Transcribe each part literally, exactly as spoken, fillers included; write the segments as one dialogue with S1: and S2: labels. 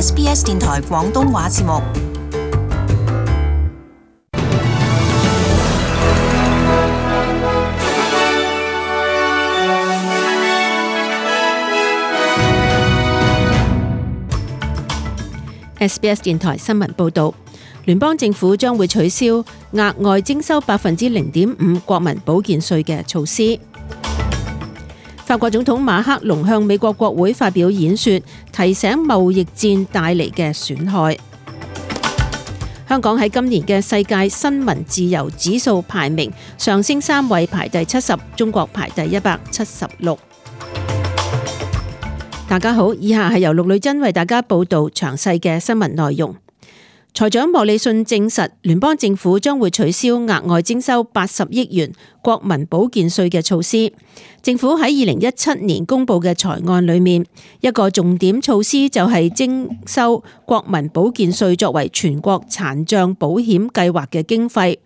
S1: S B S 電台廣東話節目。
S2: S B S 電台新聞報導，聯邦政府將會取消額外徵收百分之零點五國民保健稅嘅措施。法國總統馬克龍向美國國會發表演說，提醒貿易戰帶嚟嘅損害。香港喺今年嘅世界新聞自由指數排名上升三位，排第七十，中國排第一百七十六。大家好，以下係由陸女珍為大家報道詳細嘅新聞內容。財長莫里遜證實，聯邦政府將會取消額外徵收八十億元國民保健稅嘅措施。政府喺二零一七年公布嘅財案裏面，一個重點措施就係徵收國民保健稅作為全國殘障保險計劃嘅經費。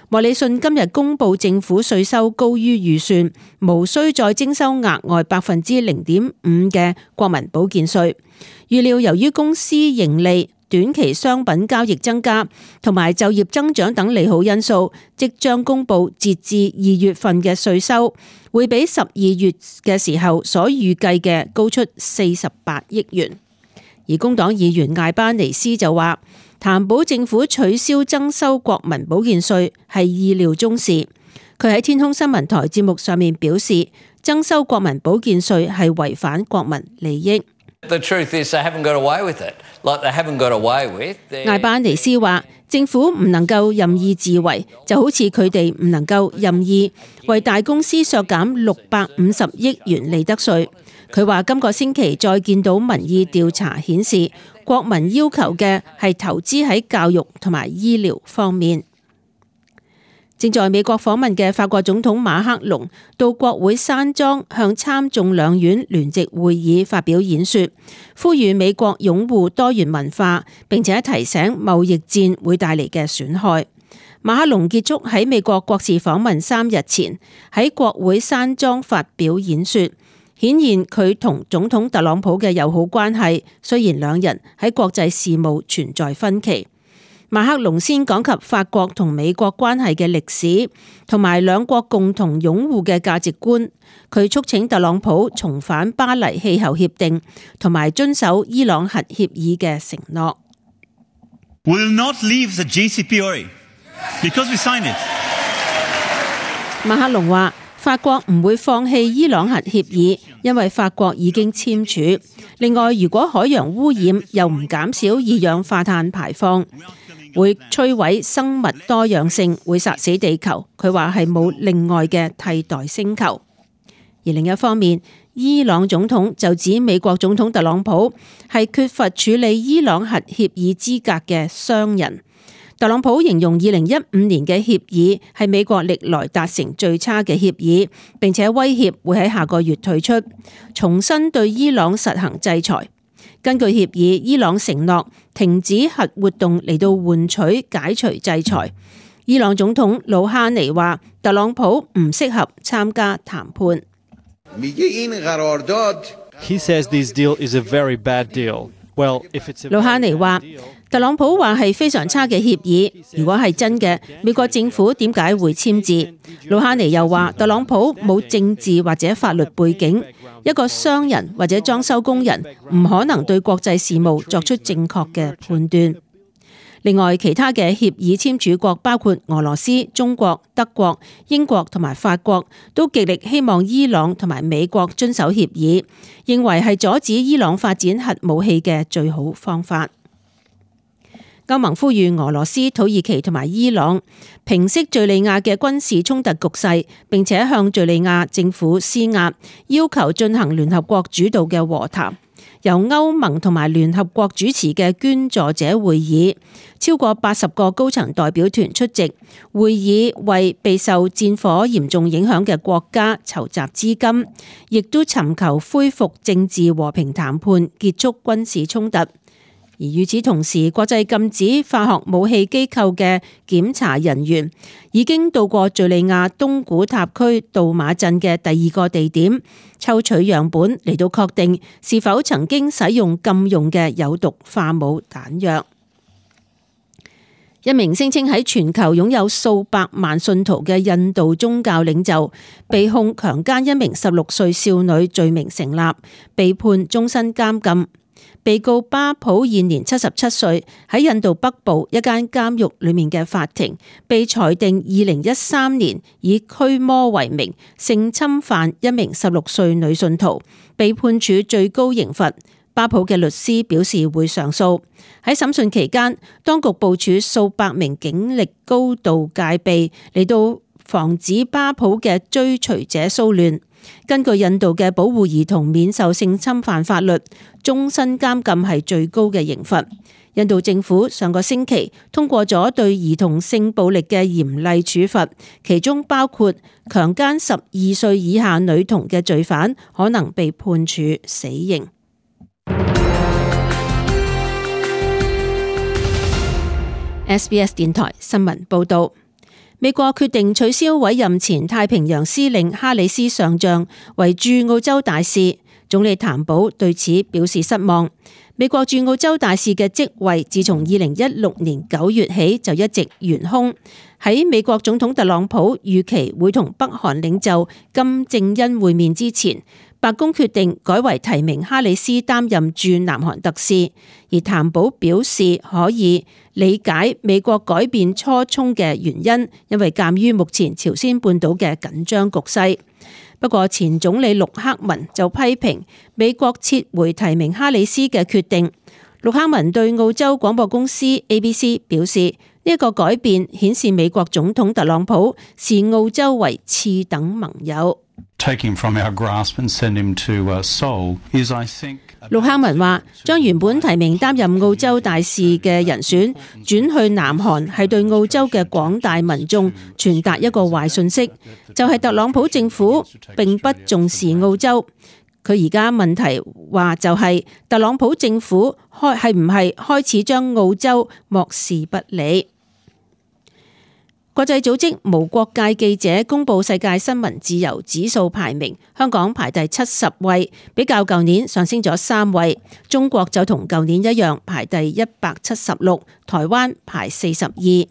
S2: 莫里遜今日公布政府稅收高於預算，無需再徵收額外百分之零點五嘅國民保健稅。預料由於公司盈利、短期商品交易增加同埋就業增長等利好因素，即將公布截至二月份嘅稅收會比十二月嘅時候所預計嘅高出四十八億元。而工黨議員艾巴尼斯就話，擔保政府取消增收國民保健稅係意料中事。佢喺天空新聞台節目上面表示，增收國民保健稅係違反國民利益。
S3: The truth is they haven't got away with it. Like they haven't got away with.
S2: 艾巴尼斯話，政府唔能夠任意自為，就好似佢哋唔能夠任意為大公司削減六百五十億元利得稅。佢話今個星期再見到民意調查顯示，國民要求嘅係投資喺教育同埋醫療方面。正在美國訪問嘅法國總統馬克龍到國會山莊向參眾兩院聯席會議發表演說，呼籲美國擁護多元文化，並且提醒貿易戰會帶嚟嘅損害。馬克龍結束喺美國國事訪問三日前喺國會山莊發表演說，顯現佢同總統特朗普嘅友好關係，雖然兩人喺國際事務存在分歧。馬克龍先講及法國同美國關係嘅歷史，同埋兩國共同擁護嘅價值觀。佢促請特朗普重返巴黎氣候協定，同埋遵守伊朗核協議嘅承諾。
S4: We will not leave the J C P O A because we signed it.
S2: 馬克龍話，法國唔會放棄伊朗核協議，因為法國已經簽署。另外，如果海洋污染又唔減少二氧化碳排放，會摧毀生物多樣性，會殺死地球。佢話係冇另外嘅替代星球。而另一方面，伊朗總統就指美國總統特朗普係缺乏處理伊朗核協議資格嘅商人。特朗普形容二零一五年嘅協議係美國歷來達成最差嘅協議，並且威脅會喺下個月退出，重新對伊朗實行制裁。根據協議，伊朗承諾停止核活動嚟到換取解除制裁。伊朗總統魯哈尼話，特朗普唔適合參加談判。
S5: He says this deal is a very bad deal. Well, if it's a
S2: 魯哈尼話，特朗普話係非常差嘅協議，如果係真嘅，美國政府點解會簽字？魯哈尼又話，特朗普冇政治或者法律背景，一個商人或者裝修工人唔可能對國際事務作出正確嘅判斷。另外，其他嘅協議簽署國包括俄羅斯、中國、德國、英國同埋法國，都極力希望伊朗同埋美國遵守協議，認為係阻止伊朗發展核武器嘅最好方法。歐盟呼籲俄羅斯、土耳其同埋伊朗平息敘利亞嘅軍事衝突局勢，並且向敘利亞政府施壓，要求進行聯合國主導嘅和談。由歐盟同埋聯合國主持嘅捐助者會議，超過八十個高層代表團出席會議，為備受戰火嚴重影響嘅國家籌集資金，亦都尋求恢復政治和平談判，結束軍事衝突。而而與此同時，國際禁止化學武器機構嘅檢查人員已經到過敘利亞東古塔區杜馬鎮嘅第二個地點，抽取樣本嚟到確定是否曾經使用禁用嘅有毒化武彈藥。一名聲稱喺全球擁有數百萬信徒嘅印度宗教領袖，被控強姦一名十六歲少女罪名成立，被判終身監禁。被告巴普現年七十七歲，喺印度北部一間監獄裏面嘅法庭，被裁定二零一三年以驅魔為名性侵犯一名十六歲女信徒，被判處最高刑罰。巴普嘅律師表示會上訴。喺審訊期間，當局部署數百名警力高度戒備嚟到防止巴普嘅追隨者騷亂。根據印度嘅保護兒童免受性侵犯法律，終身監禁係最高嘅刑罰。印度政府上個星期通過咗對兒童性暴力嘅嚴厲處罰，其中包括強姦十二歲以下女童嘅罪犯可能被判處死刑。S B S 電台新聞報道，美國決定取消委任前太平洋司令哈里斯上將為駐澳洲大使，總理譚寶對此表示失望。美國駐澳洲大使嘅職位自從二零一六年九月起就一直懸空。喺美國總統特朗普預期會同北韓領袖金正恩會面之前，白宮決定改為提名哈里斯擔任駐南韓特使，而譚寶表示可以理解美國改變初衷嘅原因，因為鑑於目前朝鮮半島嘅緊張局勢。不過前總理陸克文就批評美國撤回提名哈里斯嘅決定。陸克文對澳洲廣播公司 A B C 表示，呢一個改變顯示美國總統特朗普視澳洲為次等盟友。陸克文話，將原本提名擔任澳洲大使嘅人選轉去南韓，係對澳洲嘅廣大民眾傳達一個壞訊息，就係特朗普政府並不重視澳洲。佢而家問題話就係特朗普政府開係唔係開始將澳洲漠視不理。國際組織無國界記者公布世界新聞自由指數排名，香港排第七十位，比較舊年上升咗三位。中國就同舊年一樣排第一百七十六，台灣排四十二。組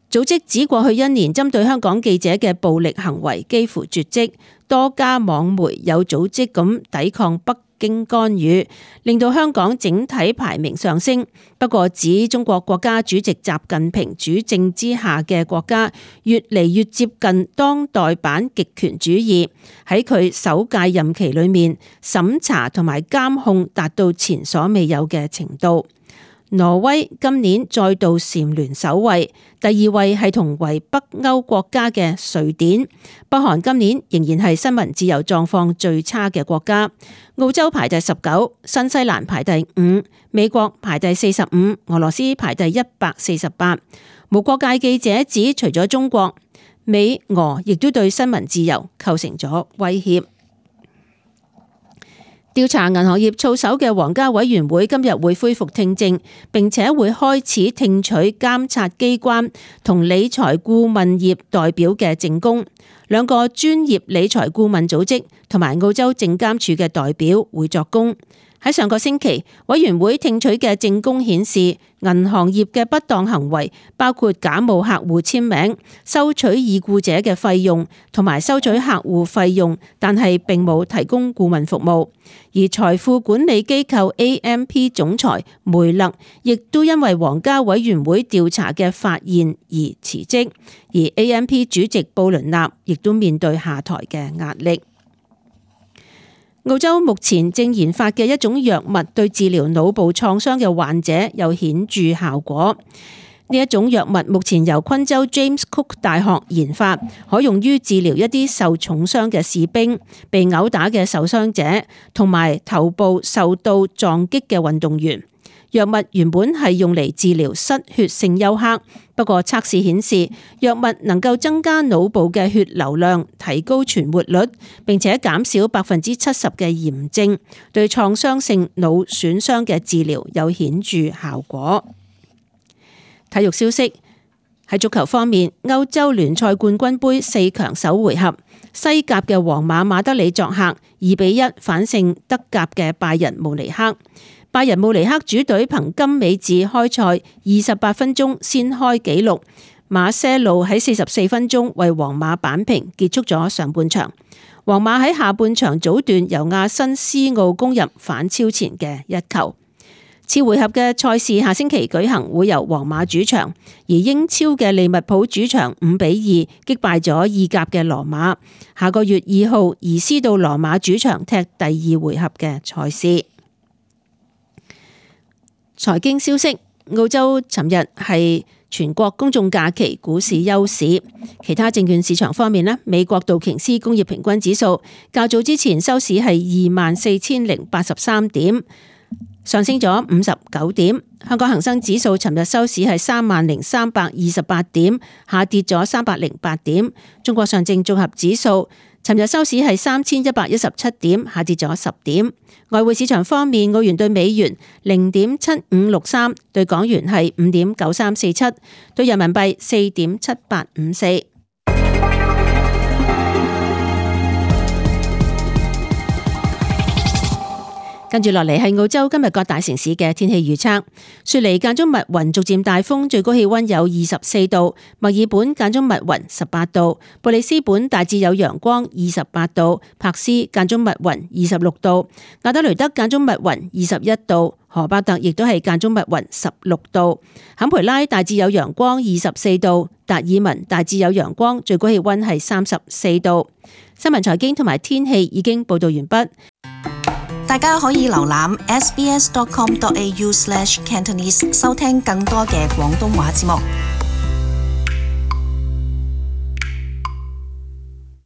S2: 織指過去一年針對香港記者嘅暴力行為幾乎絕跡，多家網媒有組織咁抵抗北經干預，令到香港整體排名上升。不過指中國國家主席習近平主政之下嘅國家越嚟越接近當代版極權主義，喺佢首屆任期裏面審查同埋監控達到前所未有嘅程度。挪威今年再度蟬聯首位，第二位係同為北歐國家嘅瑞典。北韓今年仍然係新聞自由狀況最差嘅國家。澳洲排第十九，新西蘭排第五，美國排第四十五，俄羅斯排第一百四十八。無國界記者指，除咗中國，美俄亦都對新聞自由構成咗威脅。調查銀行業操守嘅皇家委員會今日會恢復聽證，並且會開始聽取監察機關同理財顧問業代表嘅證供。兩個專業理財顧問組織同埋澳洲證監處嘅代表會作供。喺上個星期，委員會聽取嘅證供顯示，銀行業嘅不當行為包括假冒客戶簽名、收取已故者嘅費用同埋收取客戶費用，但係並冇提供顧問服務。而財富管理機構 A M P 總裁梅勒亦都因為皇家委員會調查嘅發現而辭職，而 A M P 主席布倫納亦都面對下台嘅壓力。澳洲目前正研發嘅一種藥物對治療腦部創傷嘅患者有顯著效果。呢一種藥物目前由昆州 James Cook 大學研發，可用於治療一啲受重傷嘅士兵、被毆打嘅受傷者同埋頭部受到撞擊嘅運動員。藥物原本係用嚟治療失血性休克，不過測試顯示藥物能夠增加腦部嘅血流量，提高存活率，並且減少百分之七十嘅炎症，對創傷性腦損傷嘅治療有顯著效果。體育消息，喺足球方面，歐洲聯賽冠軍盃四強首回合，西甲嘅皇馬馬德里作客二比一反勝德甲嘅拜仁慕尼黑。拜仁慕尼黑主隊憑金美治開賽二十八分鐘先開紀錄，馬些路喺四十四分鐘為皇馬扳平，結束咗上半場。皇馬喺下半場早段由亞辛斯奧攻入反超前嘅一球。次回合嘅賽事下星期舉行，會由皇馬主場，而英超嘅利物浦主場五比二擊敗咗意甲嘅羅馬。下個月二號移師到羅馬主場踢第二回合嘅賽事。財經消息，澳洲尋日係全國公眾假期，股市休市。其他證券市場方面咧，美國道瓊斯工業平均指數較早之前收市係二萬四千零八十三點，上升咗五十九點。香港恒生指數尋日收市係三萬零三百二十八點，下跌咗三百零八點。中國上證綜合指數尋日收市係三千一百一十七點，下跌咗十點。外匯市場方面，澳元對美元零點七五六三，對港元係五點九三四七，對人民幣四點七八五四。跟住落嚟係澳洲今日各大城市嘅天氣預測。雪梨間中密雲，逐漸大風，最高氣溫有二十四度；墨爾本間中密雲，十八度；布里斯本大致有陽光，二十八度；柏斯間中密雲，二十六度；亞德雷德間中密雲，二十一度；荷巴特亦都係間中密雲，十六度；坎培拉大致有陽光，二十四度；達爾文大致有陽光，最高氣溫係三十四度。新聞財經同埋天氣已經報道完畢。
S1: 大家可以瀏覽 s b s dot com dot a u slash cantonese 收聽更多嘅廣東話節目。